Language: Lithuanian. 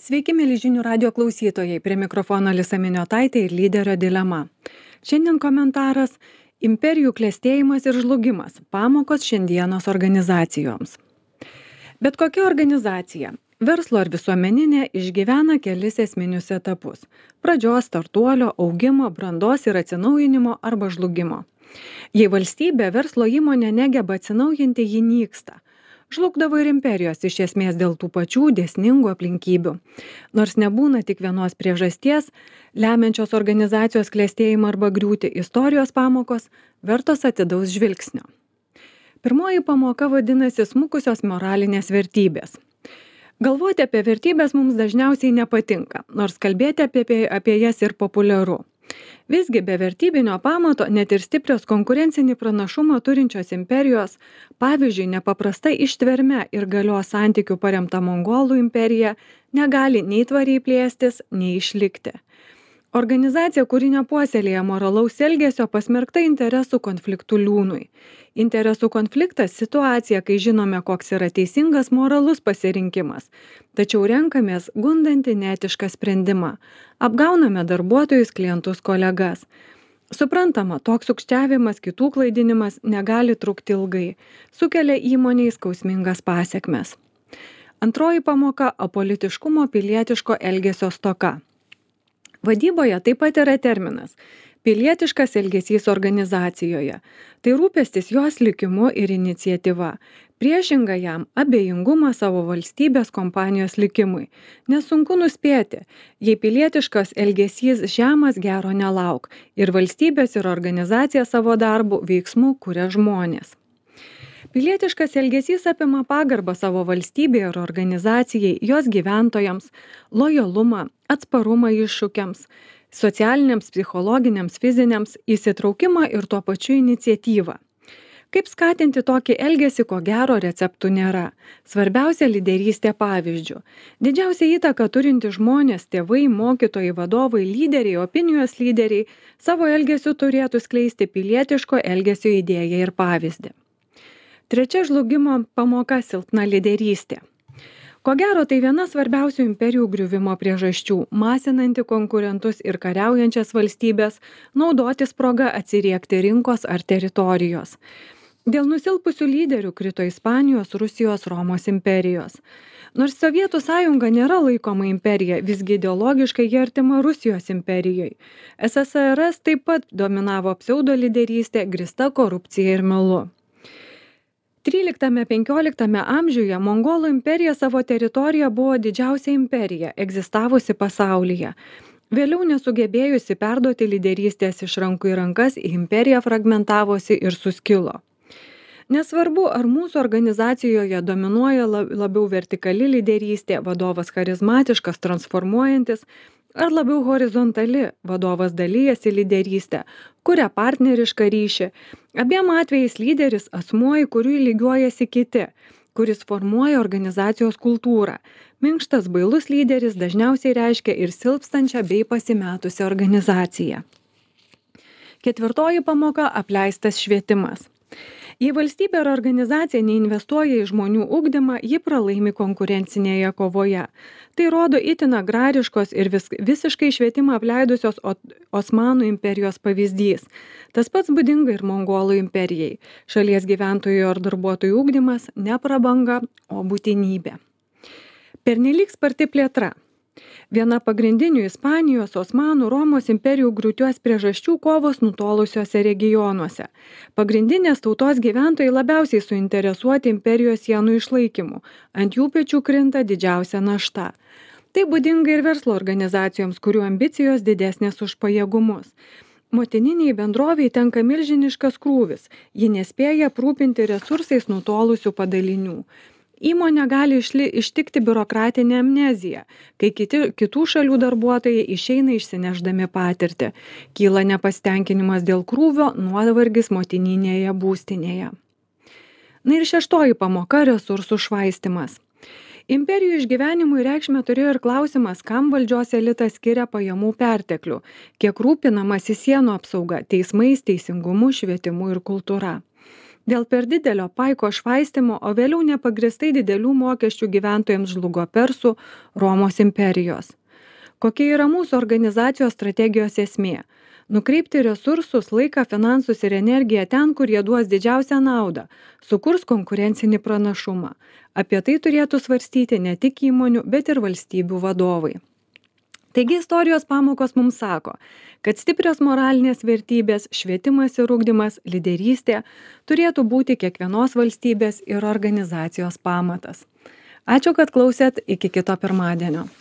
Sveiki, mėly žinių radio klausytojai, prie mikrofono Alisa Miniotaitė ir lyderio dilema. Šiandien komentaras - imperijų klestėjimas ir žlugimas - pamokos šiandienos organizacijoms. Bet kokia organizacija, verslo ar visuomeninė, išgyvena kelis esminius etapus - pradžios, startuolio, augimo, brandos ir atsinaujinimo arba žlugimo. Jei valstybė, verslo įmonė negeba atsinaujinti, ji nyksta. Žlugdavo ir imperijos iš esmės dėl tų pačių dėsningų aplinkybių. Nors nebūna tik vienos priežasties, lemiančios organizacijos klestėjimą arba griūtį, istorijos pamokos vertos atidaus žvilgsnio. Pirmoji pamoka vadinasi smukusios moralinės vertybės. Galvoti apie vertybės mums dažniausiai nepatinka, nors kalbėti apie jas ir populiaru. Visgi be vertybinio pamato net ir stiprios konkurencinį pranašumą turinčios imperijos, pavyzdžiui, nepaprasta ištverme ir galios santykių paremta Mongolų imperija, negali nei tvariai plėstis, nei išlikti. Organizacija, kuri nepuoselėja moralaus elgesio, pasmerkta interesų konfliktų liūnui. Interesų konfliktas - situacija, kai žinome, koks yra teisingas moralus pasirinkimas, tačiau renkamės gundantį neetišką sprendimą. Apgauname darbuotojus, klientus, kolegas. Suprantama, toks sukčiavimas, kitų klaidinimas negali trukti ilgai, sukelia įmonei skausmingas pasekmes. Antroji pamoka - apolitiškumo pilietiško elgesio stoka. Vadyboje taip pat yra terminas - pilietiškas elgesys organizacijoje. Tai rūpestis jos likimu ir iniciatyva. Priešinga jam - abejingumas savo valstybės kompanijos likimui. Nesunku nuspėti, jei pilietiškas elgesys žemas, gero nelauk ir valstybės ir organizacija savo darbų veiksmų kuria žmonės. Pilietiškas elgesys apima pagarbą savo valstybei ir organizacijai, jos gyventojams, lojalumą, atsparumą iššūkiams, socialiniams, psichologiniams, fiziniams, įsitraukimą ir tuo pačiu iniciatyvą. Kaip skatinti tokį elgesį, ko gero receptų nėra. Svarbiausia - lyderystė pavyzdžių. Didžiausia įtaka turinti žmonės, tėvai, mokytojai, vadovai, lyderiai, opinijos lyderiai savo elgesiu turėtų skleisti pilietiško elgesio idėją ir pavyzdį. Trečia žlugimo pamoka - silpna lyderystė. Ko gero, tai viena svarbiausių imperijų griuvimo priežasčių - masinanti konkurentus ir kariaujančias valstybės naudotis proga atsiriekti rinkos ar teritorijos. Dėl nusilpusių lyderių krito Ispanijos, Rusijos, Romos imperijos. Nors Sovietų sąjunga nėra laikoma imperija, visgi ideologiškai ji artima Rusijos imperijai. SSRS taip pat dominavo pseudo lyderystė, grįsta korupcija ir melu. 13–15 amžiuje Mongolų imperija savo teritoriją buvo didžiausia imperija, egzistavusi pasaulyje. Vėliau nesugebėjusi perduoti lyderystės iš rankų į rankas, imperija fragmentavosi ir suskilo. Nesvarbu, ar mūsų organizacijoje dominuoja labiau vertikali lyderystė, vadovas charizmatiškas, transformuojantis, ar labiau horizontali, vadovas dalyjasi lyderystę, kuria partnerišką ryšį. Abiem atvejais lyderis asmuo, į kurį lygiuojasi kiti, kuris formuoja organizacijos kultūrą. Minkštas bailus lyderis dažniausiai reiškia ir silpstančią bei pasimetusią organizaciją. Ketvirtoji pamoka - apleistas švietimas. Jei valstybė ar organizacija neinvestuoja į žmonių ugdymą, ji pralaimi konkurencinėje kovoje. Tai rodo itin agrariškos ir visiškai švietimą apleidusios Osmanų imperijos pavyzdys. Tas pats būdinga ir Mongolų imperijai. Šalies gyventojų ar darbuotojų ugdymas ne prabanga, o būtinybė. Pernelyg sparti plėtra. Viena pagrindinių Ispanijos, Osmanų, Romos imperijų griūties priežasčių - kovos nutolusiuose regionuose. Pagrindinės tautos gyventojai labiausiai suinteresuoti imperijos sienų išlaikymu. Ant jų pečių krinta didžiausia našta. Tai būdinga ir verslo organizacijoms, kurių ambicijos didesnės už pajėgumus. Motininiai bendroviai tenka milžiniškas krūvis. Ji nespėja aprūpinti resursais nutolusių padalinių. Įmonė gali ištikti biurokratinė amnezija, kai kitų šalių darbuotojai išeina išsinešdami patirtį. Kyla nepasitenkinimas dėl krūvio, nuovargis motininėje būstinėje. Na ir šeštoji pamoka - resursų švaistymas. Imperijų išgyvenimui reikšmę turėjo ir klausimas, kam valdžios elitas skiria pajamų perteklių, kiek rūpinamasi sienų apsauga, teismais, teisingumu, švietimu ir kultūra. Dėl per didelio paiko švaistimo, o vėliau nepagristai didelių mokesčių gyventojams žlugo Persų Romos imperijos. Kokia yra mūsų organizacijos strategijos esmė? Nukreipti resursus, laiką, finansus ir energiją ten, kur jie duos didžiausią naudą, sukurs konkurencinį pranašumą. Apie tai turėtų svarstyti ne tik įmonių, bet ir valstybių vadovai. Taigi istorijos pamokos mums sako, kad stiprios moralinės vertybės, švietimas ir ugdymas, lyderystė turėtų būti kiekvienos valstybės ir organizacijos pamatas. Ačiū, kad klausėt, iki kito pirmadienio.